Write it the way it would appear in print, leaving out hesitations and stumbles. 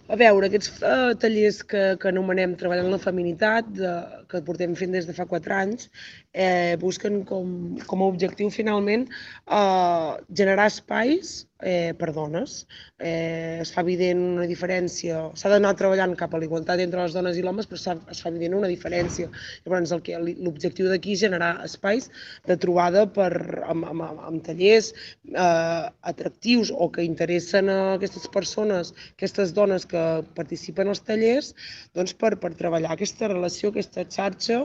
A veure, aquests tallers que anomenem Treballant la Feminitat, que portem fent des de fa 4 anys, busquen com a objectiu finalment generar espais per dones. Es fa evident una diferència, s'ha d'anar treballant cap a la igualtat entre les dones i l'homes, però es fa evident una diferència. Llavors, l'objectiu d'aquí és generar espais de trobada amb tallers atractius o que interessen a aquestes persones, aquestes dones que participen als tallers, doncs per treballar aquesta relació, aquesta xarxa